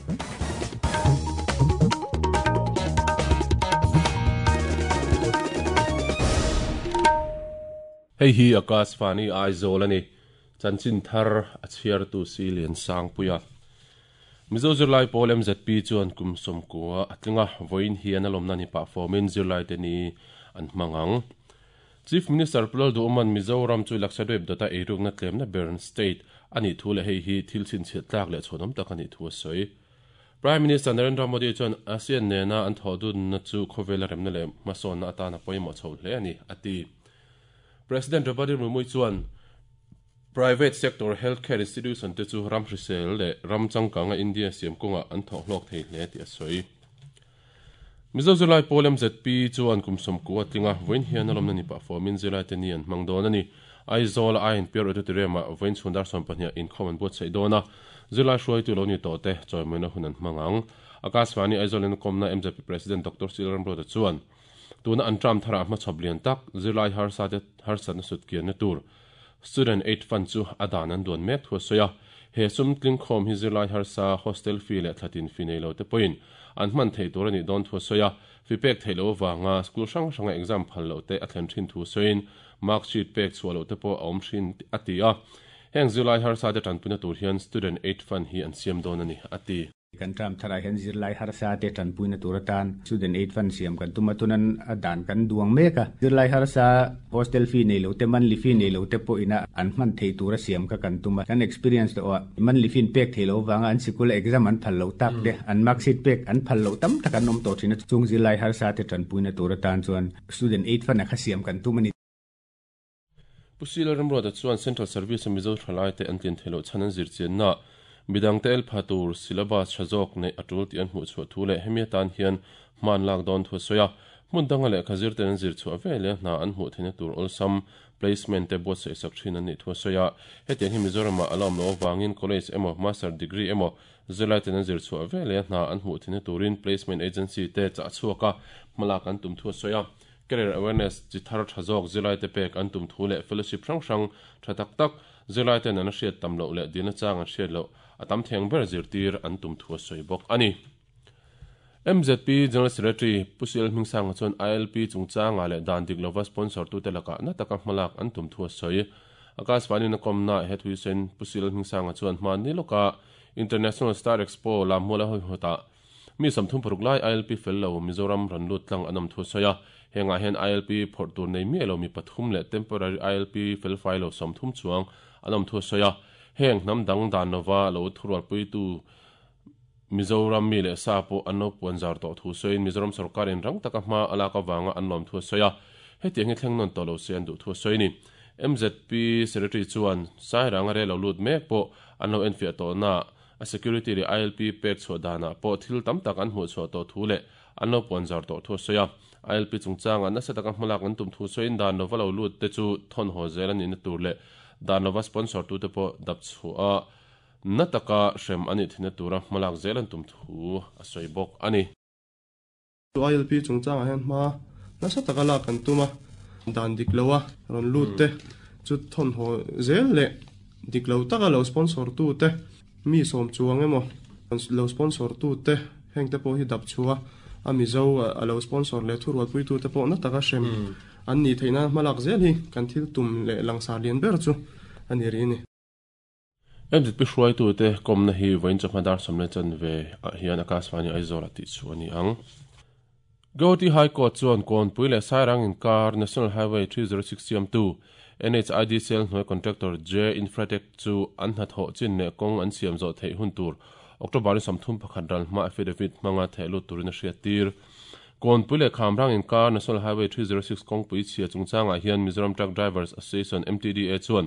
Hei hi Akashvani Aizawl a ni. Chanchin thar a chhiartu si Liansangpuia. Mizo zirlai pawl MZP chuan kum 90 a tling a, vawiin hian a lawmna ni pah fawmin zirlaite ni an hmang ang. Chief Minister Pu Lalduhawma'n Mizoram chu Lakshadweep dawta eirukna tlemna ber state a nih thu leh hei hi thil chhinchhiah tlak leh chhuanawm tak a nih thu a sawi. Prime Minister Narendra Modi chuan ASEAN nena an thawhdunna chu khawvela remna leh hmasawnna atan a pawimawh chho hle a ni, a ti. President Draupadi Murmu chuan private sector healthcare institution te chu ram hrisel leh ram changkanga India siam kawngah an thawh hlawk thei hle tih a sawi. Mizo zirlai pawl MZP chuan kum 90 a tling a, vawiin hian a lawmna ni pah fawmin zirlaite ni an hmang dawn a ni. Aizawl-a INPR Auditorium-ah vawiin chhun dar 12-ah inkhawm an buatsaih dawn a, zirlai hruaitu lo ni tawh te chawimawina hun an hmang ang. Akashvani Aizawl inkawmna MZP President Doctor Sil Ramruata chuan, Tuna an term tharah hmachhawp lian tak, zirlai harsate harsatna sut kianna tur Student Aid Fund chu a dan an duan mek thu a sawi a. He sum tlingkhawm hi zirlai harsa, hostel fee leh thlatin fee nei lo te pawhin an hman theih tur a nih dawn thu a sawi a. Fee pek theih loh avanga school hrang hranga exam phal loh te a thlen thin thu sawiin mark sheet pek chhuah loh te pawh a awm thin a ti a. Heng zirlai harsa te tanpuina tur hian Student Aid Fund hi an siam dawn a ni, a ti. Kan term tharah hian zirlai harsa te tanpuina tur atan Student Aid Fund siam kan tum a, tunan a dan kan duang mek a. Zirlai harsa hostel fee nei lo te, monthly fee nei lo te pawh ina an hman theih tura siam kha kan tum a. Kan experience tawh a, monthly fee pek theih loh avanga an sikula exam an phal loh tak te, an mark sheet pek an phal loh tam tak an awm tawh thin a. Chung zirlai harsa te tanpuina tur atan chuan Student Aid Fund a kha siam kan tum a ni. Pu Sila Ramruata chuan Central Service-a Mizo thalaite an tlin theih loh chhan an zirchianna midangte el pha tur syllabus tha zawk neih a tul tih an hmuh chhuah thu leh hemi atan hian hman lak dawn thu a sawi a. Hmun danga lehkha zirten an zir chhuah ve leh hna an hmuh theihna tur awlsam placement te buatsaih sak thin an nih thu a sawi a. Hetiang hi Mizoramah a la awm loh avangin college emaw master degree emaw zirlaiten an zir chhuah ve leh hna an hmuh theihna turin placement agency te chah chhuak a hmalak an tum thu a sawi a. Career Awareness chi thar tha zawk zirlaite pek an tum thu leh fellowship hrang hrang tha tak tak zirlaiten an hriat tam loh leh dilna chang an hriat loh a tam theng ber zirtir an tum thu a sawi bawk a ni. MZP General Secretary Pu Sial Hmingsanga chuan ILP chungchangah leh dan dik lova sponsor tute lakah na taka hmalak an tum thu a sawi. Akashvani na kawmnaah he thu sawiin Pu Sial Hmingsanga chuan hmanni lawka International Star Expo Lammuala hawihawnah Mi 36 lai ILP fel lo Mizoram rawn lut tlang an awm thu a sawi a, hengah hian ILP phawrh tur nei miah lo mi pathum leh temporary ILP fel fai lo 30 chuang an awm thu a sawi a. Heng hnam dang dan lova lo thurualpuitu Mizoram mi leh sa pawh an lo puan zar tawh thu sawiin Mizoram sorkarin rang taka hma a lak avanga an lawm thu a sawi a, hetiang hi thleng nawn tawh lo se an duh thu a sawi a ni. MZP Secretary chuan Sairanga rel lo lut mek pawh an lo enfiah tawhnaah A security leh ILP pek chhuah danah pawh thil tam tak an hmuh chhuah tawh thu leh an lo puan zar tawh thu a sawi a. ILP chungchangah nasa taka hmalak an tum thu sawiin dan lova lo lut te chu thawn haw zel a nihna tur leh dan lova sponsor tute pawh dap chhuah a na taka hrem a nih theihna tura hmalak zel an tum thu a sawi bawk a ni. ILP chungchangah hian hma nasa taka lak kan tum a, dan dik lo a rawn lut te chu thawn haw zel leh dik lo taka lo sponsor tu te mi sawm chuang emaw lo sponsor tu te heng te pawh hi dap chhuah a Mizo a lo sponsor leh thurualpui tu te pawh na taka hrem an nih theihna hma lak zel hi kan thil tum leh langsar lian ber chu a ni rih a ni. MZP hruaitute kawmna hi vawiin chawhma dar 10 chanve ah hian Akashvani Aizawl-ah tih chhuah a ni ang. Guwahati High Court chuan Kawnpui leh Sairang inkar National Highway 306 siamtu NHID Cell hnuai contractor J Infratech chu an hnathawh chin leh kawng an siam zawh theih hun tur October ni 31 ral hma affidavit hmanga theh lut turin a hriattir. Kawnpui leh Khamrang inkar National Highway 306 kawngpui chhia chungchangah hian Mizoram Truck Drivers Association, MTDA, chuan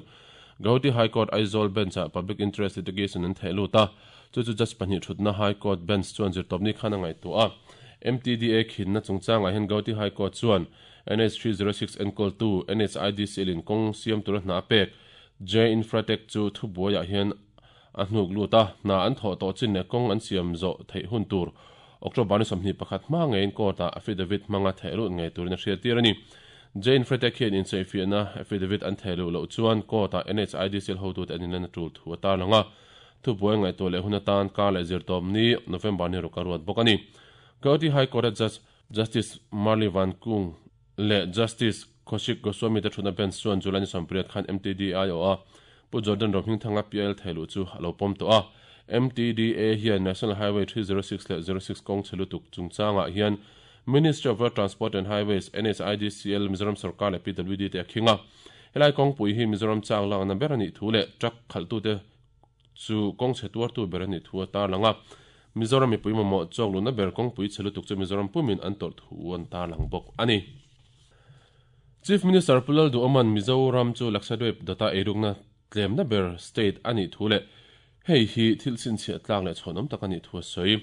Guwahati High Court Aizawl Bench-ah Public Interest Litigation an theh lut a, chu chu Judge pahnih thutna High Court Bench chuan zirtawpni khan a ngaihtuah a. MTDA khinna chungchangah hian Guwahati High Court chuan NH 306 enkawltu NHIDCL-in kawng siam tura hna a pek J Infratech chu thubuaiah hian a hnuk lut a, hna an thawh tawh chin leh kawng an siam zawh theih hun tur October ni 21 hma ngeiin court-ah affidavit hmanga theh lut ngei turin a hriattir a ni. Jane Fretek hian insawifiahna affidavit an theh luh loh chuan court-ah NHIDCL hotute an inlan a tul thu a tarlang a. Thubuai ngaihtuah leh hun atan kar leh zirtawpni November ni ruk a ruat bawk a ni. Gauhati High Court-a Judge Justice Marli Van Kung leh Justice Kaushik Goswami te thutna bench chuan July ni 18 khan MTDA aiawha Pu Jordan Rohmingthanga PIL theiluh chu a lo pawm tawh a. MTDA hian National Highway 306 leh 06 kawng chhe lutuk chungchangah hian Ministry of Road Transport and Highways, NHIDCL, Mizoram Sorkar leh PWD te a khing a. Helai kawngpui hi Mizoram chang lakna ber a nih thu leh truck khalhtute chu kawng chhe tuartu ber a nih thu a tarlang a. Mizoram mipui mamawh chawk luhna ber kawngpui chhe lutuk chu Mizoram pumin an tawrh thu an tarlang bawk a ni. Chief Minister Pu Lalduhawma'n Mizoram chu Lakshadweep dawta eirukna tlemna ber state a nih thu leh hei hi thil chhinchhiah tlak leh chhuanawm tak a nih thu a sawi.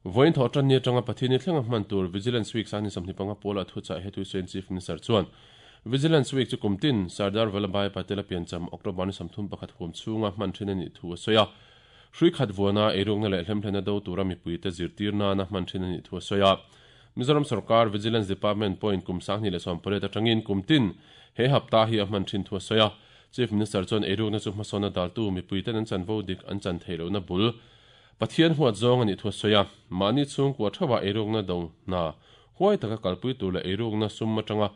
Vawiin thawh tan ni atanga Pathian ni thlenga hman tur Vigilance Week sangni 25 pawlah thuchah he thuisawiin Chief Minister chuan Vigilance Week chu kum tin Sardar Vallabhbhai Patel a piancham October ni 31 huam chhunga hman thin a nih thu a sawi a. Hrui khat vuana eirukna leh hlemhlena do tura mipuite zirtir nana hman thin a nih thu a sawi a. Mizoram Sorkar Vigilance Department pawhin kum 2018 atangin kum tin he hapta hi a hman thin thu a sawi a. Chief Minister chuan eirukna chu hmasawnna daltu mipuiten an chanvo dik an chan theih lohna bul Pathian huat zawng a nih thu a sawi a, mahni chhungkua theuhah eirukna do hna huai taka kalpui tur leh eirukna sum atanga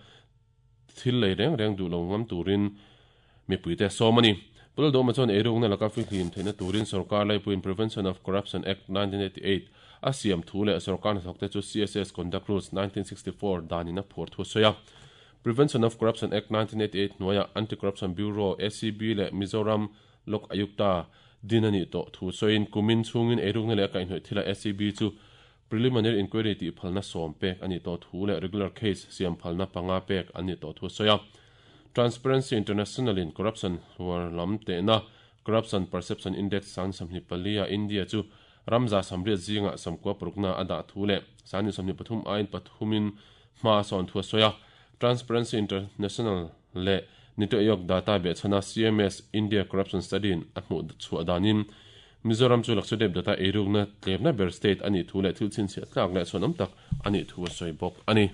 thil lei reng reng duh lo ngam turin mipuite a sawm a ni. Pu Lalduhawma chuan eirukna laka fihlim theihna turin sorkar laipuiin Prevention of Corruption Act, 1988 a siam thu leh sorkar hnathawkte chu CSS Conduct Rules, 1964 danin a phuar thu a sawi a. Prevention of Corruption Act, 1988 hnuaiah Anti-Corruption Bureau, ACB, leh Mizoram Lok Ayukta din a nih tawh thu sawiin kumin chhungin eirukna leh a kaihhnawih thilah ACB chu Preliminary Inquiry tih phalna sawm pek a nih tawh thu leh Regular Case siam phalna panga pek an nih tawh thu a sawi a. Transparency International in Corruption hluar lam tehna Corruption Perception Index sang 24 ah India chu ram 180 zingah sawmkua parukna a dah thu leh sang 23 aiin pathumin hma a sawn thu a sawi a. Transparency International leh Niti Aayog data behchhana CMS India Corruption Study in a hmuh chhuah danin Mizoram chu Lakshadweep data eirukna tlemna ber state a nih thu leh thil chhinchhiah tlak leh chhuanawm tak a nih thu a sawi bawk a ni.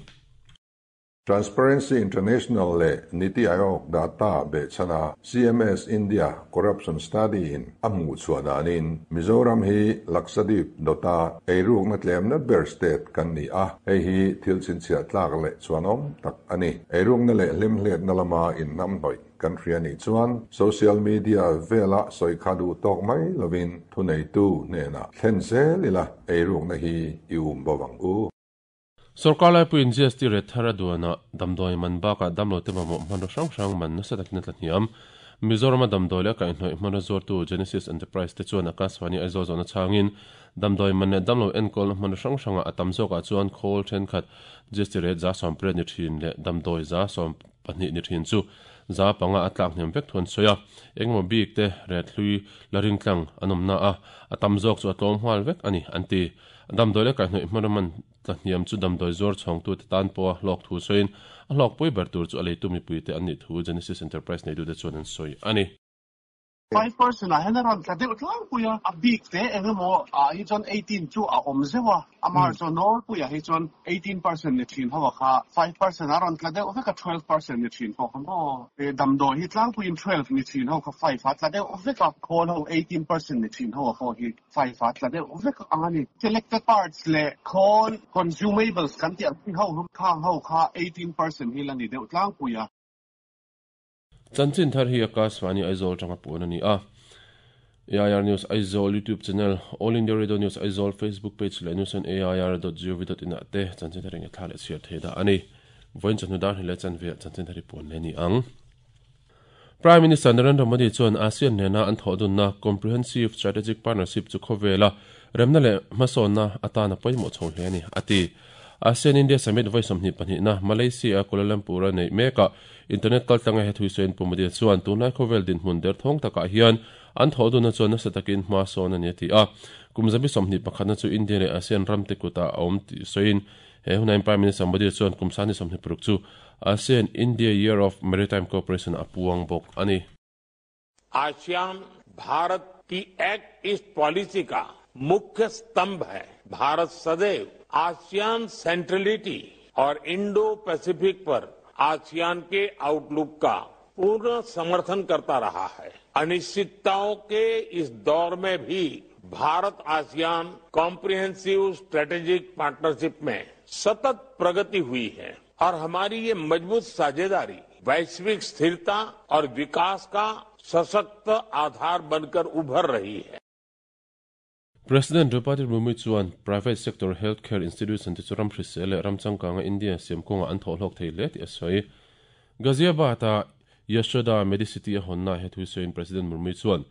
Transparency International leh Niti Aayog data behchhana CMS India Corruption Study in a hmuh chhuah danin Mizoram hi Lakshadweep dawta eirukna tlemna ber state kan ni a, hei hi thil chhinchhiah tlak leh chhuanawm tak a ni. Eirukna leh hlimhletna lama inhnamhnawih kan hria nih chuan social media vela sawi kha duh tawk mai lovin thuneitu hnenah thlen zel ila eirukna hi i um bo ang u. Sorkar laipuiin GST rate thar a duanah damdawi man bakah damlote mamawh hmanraw hrang hrang man nasa takin a tla hniam. Mizorama damdawi leh a kaihhnawih hmanraw zuartu Genesis Enterprise te chuan Akashvani Aizawl zawhna chhangin damdawi man leh damlo enkawlna hmanraw hrang hrangah a tam zawkah chuan khawl thenkhat GST rate 80% ni thin leh damdawi 12% ni thin chu 5% a tlak hniam vek thu an sawi a. Engemaw bik te ret hlui la ringtlang an awmna a, a tam zawk chu a tlawm nghal vek a ni, an ti. Damdawi leh kaihhnawih hmanraw man tla hniam chu damdawi zuar chhawngtute tan pawha hlawk thu sawiin a hlawkpui ber tur chu a leitu mipuite an nih thu Genesis Enterprise neitute chuan an sawi a ni. 5% ah hian a rawn tla deuh tlangpui a, a bik te eng emaw ah hi chuan 18 chu a awm zeuh a, amah chu nawlpuiah hi chuan 18% ni thin ho a kha 5% a rawn tla deuh vek a, 12% ni thin pawh kha maw damdawi hi tlangpuiin 12 ni thin ho kha 5 a tla deuh vek a, khawl ho 18% ni thin ho a pawh hi 5 a tla deuh vek ang a ni. Selected parts leh khawl consumables kan tih ang chi ho khang ho kha 18% hi la ni deuh tlangpui a. Chanchin thar hi Akashvani Aizawl atanga puan a ni a. AIR News Aizawl YouTube channel, All India Radio News Aizawl Facebook page leh news on air dot gov dot in ah te chanchin thar engethla leh chhiar thei dah a ni. Vawiin chawhnu dar hnih leh chanve ah chanchin thar hi puan leh a ni ang. Prime Minister Narendra Modi chuan ASEAN nena an thawhdunna Comprehensive Strategic Partnership chu khawvela remna leh hmasawnna atan a pawimawh chho hle a ni, a ti. ASEAN-India Summit vawi 22na Malaysia-a Kuala Lumpur-a neih mekah internet kaltlanga he thuisawiin Pu Modi chuan tunlai khawvel dinhmun derthawng takah hian an thawhdunna chuan nasa takin hma sawn a ni a ti a. Kum zabi 21na chu India leh ASEAN ramte kutah a awm tih sawiin he hunain Prime Minister Modi chuan kum 26 chu ASEAN-India Year of Maritime Cooperation a puang bawk a ni. ASEAN Bharat की act east policy का मुख्य स्तंभ है। भारत सदैव ASEAN centrality और Indo Pacific पर ASEAN के आउटलुक का पूर्ण समर्थन करता रहा है। अनिश्चितताओं के इस दौर में भी Bharat ASEAN comprehensive strategic partnership में सतत प्रगति हुई है और हमारी ये मजबूत साझेदारी वैश्विक स्थिरता और विकास का सशक्त आधार बनकर उभर रही है। President Draupadi Murmu chuan private sector healthcare institution te chu ram hrisel leh ram changkanga India siam kawnga an thawhhlawk thei hle tih a sawi. Ghaziabad-a Yashoda Medicity a hawnna he thu sawiin President Murmu chuan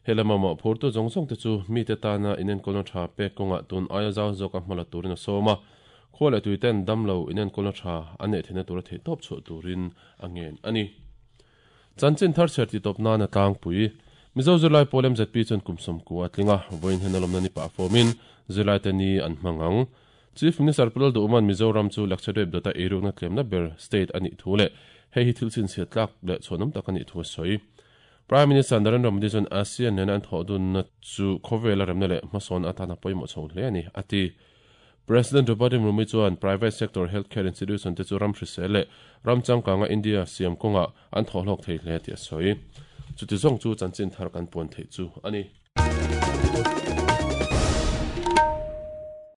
he lama mawhphurtu zawng zawng te chu mite tana inenkawlna tha pek kawngah tun aia zau zawka hmala turin a sawm a, khua leh tui ten damlo inenkawlna tha an neih theihna tura theihtawp chhuah turin a ngen a ni. Chanchin thar chher titawp nana tlangpui, Mizo zirlai pawl MZP chuan kum 90 a tling a, vawiin hian a lawmna ni pah fawmin zirlaite ni an hmang ang. Chief Minister Pu Lalduhman Mizoram chu Lakshadweep dawta eirukna tlemna ber state a nih thu leh hei hi thil chhinchhiat tlak leh chhuanawm tak a nih thu a sawi. Prime Minister Narendra Modi chuan ASEAN nena an thawh dunna chu khawvela remna leh hmasawn atana pawimawh chho hle a ni, a ti. President Draupadi Murmu chuan private sector healthcare institution te chu ram hrisel leh ram changkanga India siam kawngah an thawhhlawk thei hle tih a sawi. Chuti zawng chu chanchin thar kan puan theih chu a ni.